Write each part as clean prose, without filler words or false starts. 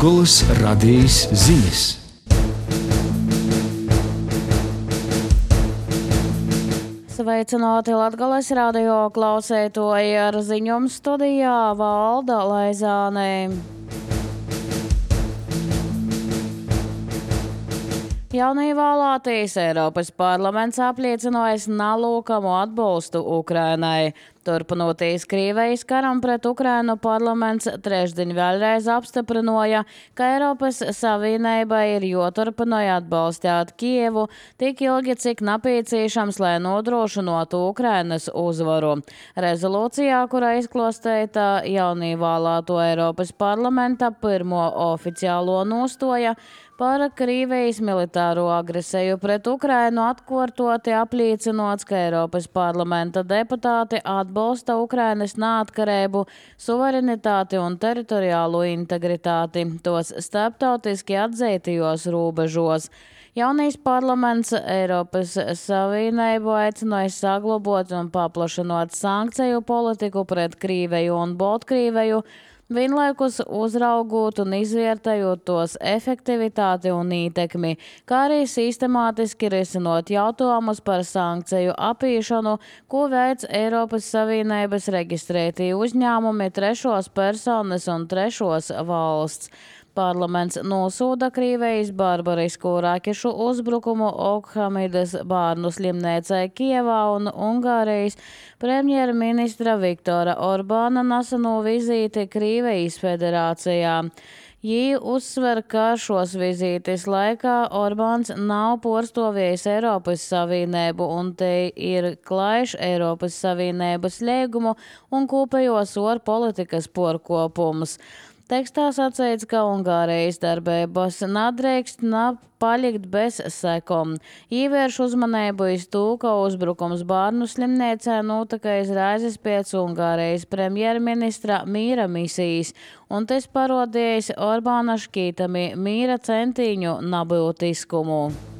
Latgolas radijas ziņas. Sveicināti Latgolas radio klausētoji, ar ziņojumu studijā Valda Laizāne. Jaunīvēlētais Eiropas parlaments apliecinājis nelūkamu atbalstu Ukrainai. Turpinoties Krievijas karam pret Ukrainu, parlaments trešdien vēlreiz apstiprināja, ka Eiropas Savienībai ir jāturpina atbalstīt Kievu tik ilgi, cik nepieciešams, lai nodrošinātu Ukrainas uzvaru. Rezolūcijā, kurā izklāstīta jaunīvēlēto Eiropas parlamenta pirmo oficiālo nostoja par Krievijas militāro agresiju pret Ukrainu, atkārtoti apliecinots, ka Eiropas parlamenta deputāti atbalsta Ukrainas neatkarību, suverenitāti un teritoriālo integritāti tos starptautiski atzītajos robežos. Jaunais parlaments Eiropas Savienību aicināja saglabāt un paplašināt sankciju politiku pret Krieviju un Baltkrieviju, vienlaikus uzraugot un izvērtējot tos efektivitāti un ietekmi, kā arī sistemātiski risinot jautājumus par sankciju apīšanu, ko veic Eiropas Savienības reģistrētie uzņēmumi, trešos personas un trešos valsts. Parlaments nosūda Krievijas barbarisku rakešu uzbrukumu Okhamidas bērnu slimnīcai Kievā un Ungārijas premjerministra Viktora Orbāna neseno vizīti Krievijas federācijā. Jī uzsver, ka šos vizītes laikā Orbāns nav porstovies Eiropas Savienību un te ir klājš Eiropas Savienības līgumu un kopējos ārpolitikas porkopums. Tekstā sacīts, ka Ungārijas darbības nedrīkst palikt bez sekom. Īvērš uzmanību iz to, ka uzbrukums bērnu slimnīcā notika izraizes pēc Ungārijas premjerministra mīra misijas, un tas parodījis Orbāna šķītami mīra centīņu nebūtiskumu.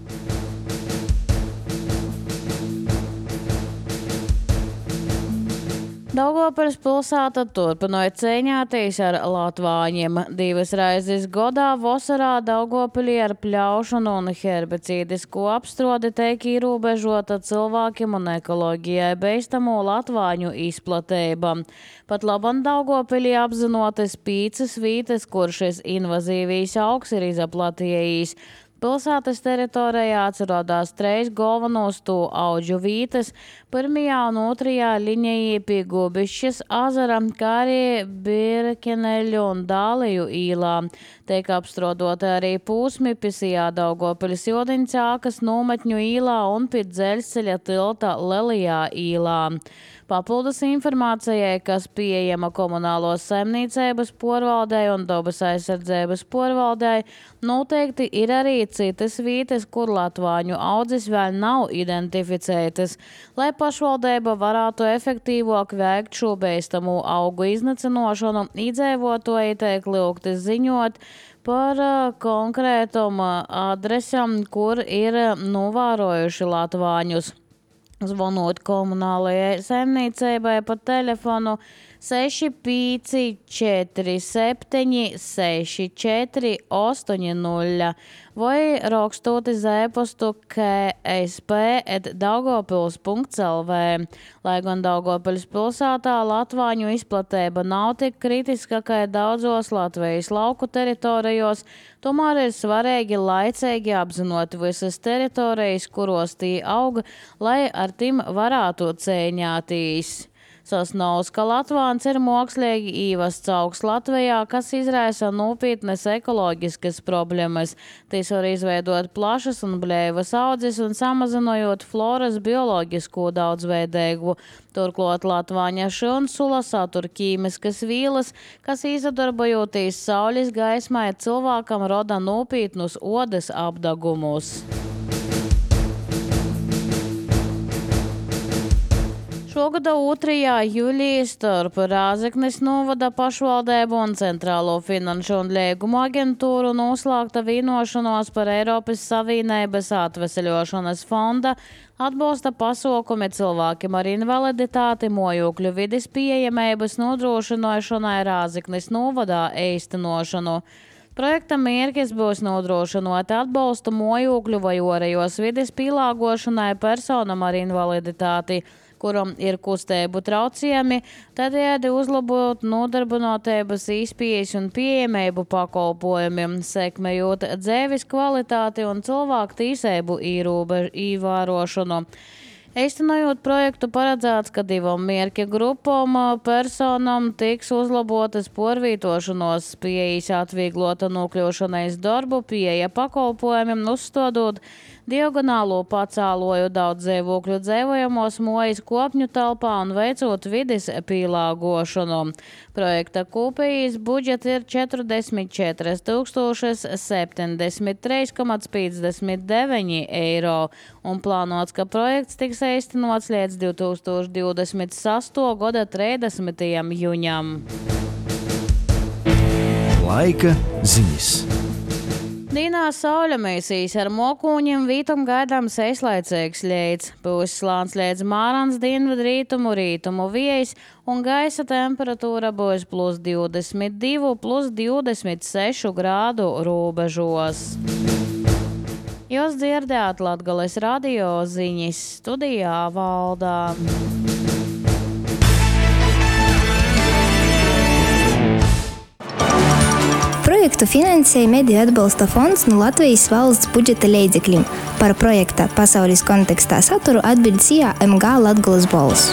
Daugavpils pilsēta turpināja cīņāties ar latvāņiem. 2 reizes gadā vasarā Daugavpilī ar pļaušanu un herbicīdisku apstrodi tiek ierobežota cilvēkiem un ekoloģijai bīstamo latvāņu izplatība. Pat labam Daugavpilī apzinotas 5 vītes, kur šis invazīvīs augs ir izaplatījis. Pilsētas teritorijā atrodas 3 galvenos to audžu vītes, 1. un 2. līnijā pie Gubišķas ezera, kā arī Birkeneļu un Dāliju īlā. Tiek apstrodoti arī pūsmi Pisijā Daugavpiļas Jodiņcākas nometņu īlā un pie dzeļceļa tilta Lelijā īlā. Papildus informācijai, kas pieejama komunālos saimniecības porvaldei un dabas aizsardzības porvaldei, noteikti ir arī citas vītes, kur latvāņu audzes vēl nav identificētas. Lai pašvaldība varētu efektīvāk veikt šo bīstamo augu iznīcināšanu, iedzīvotāji tiek lūgti ziņot par konkrētām adresēm, kur ir novērojuši latvāņus. Zvanot komunālajai saimniecībai pa telefonu 6547 6480 vai rakstot uz e-pastu ksp@daugavpils.lv. Lai gan Daugavpils pilsētā latvāņu izplatība nav tik kritiska, kā daudzos Latvijas lauku teritorijos, tomēr ir svarīgi laicīgi apzinot visas teritorijas, kuros tī auga, lai ar tiem varētu cīņāties. Sasnauts, ka latvāns ir mākslīgi īvests augs Latvijā, kas izraisa nopietnas ekoloģiskas problēmas. Tīs var izveidot plašas un blēvas audzes un samazinojot floras bioloģisko daudzveidīgu. Turklāt latvāņa šunsula satur ķīmiskas vīlas, kas izadarbojoties saules gaismai cilvēkam roda nopietnus odas apdagumus. Šogada 2. jūlijā starp Rāzeknes novada pašvaldību un Centrālo finanšu un līgumu aģentūru noslēgta vienošanos par Eiropas Savienības atveseļošanas fonda atbalsta pasaukumi cilvēkiem ar invaliditāti mājokļu vides pieejamības nodrošināšanai Rāzeknes novadā īstenošanu. Projekta mērķis būs nodrošinot atbalstu mojokļu vai orējos vides pielāgošanai personam ar invaliditāti, kuram ir kustību traucējumi, tādējādi uzlabot nodarbinātības izpējas un pieejamību pakalpojumiem, sekmējot dzīves kvalitāti un cilvēku tiesību ievērošanu. Īstenojot projektu paredzēts, ka divam mērķa grupām personam tiks uzlabotas porvītošanos, pieejas atvieglota nokļūšanais darbu, pieeja pakalpojumiem, uzstādot diagonālo pacēloju daudz dzīvokļu dzīvojamos mojas kopņu telpā un veicot vides pielāgošanu. Projekta kopējais budžets ir 44 073,59 eiro un plānots, ka projekts tiks īstenots līdz 2026. gada 30. jūņam. Laika ziņas. Dīnā sauļamēsīs ar mokūņiem vītum gaidāms eislaicīgs ļeids. Būs slāns līdz mārans dienvidu rītumu viejas un gaisa temperatūra būs +22, +26 grādu robežos. Jūs dzirdējāt Latgales radio ziņas, studijā Valdā. Projektu finansēja Mediju atbalsta fonds no Latvijas valsts budžeta līdzekļiem. Par projekta pasaules kontekstā saturu atbild SIA MG Latgales balss.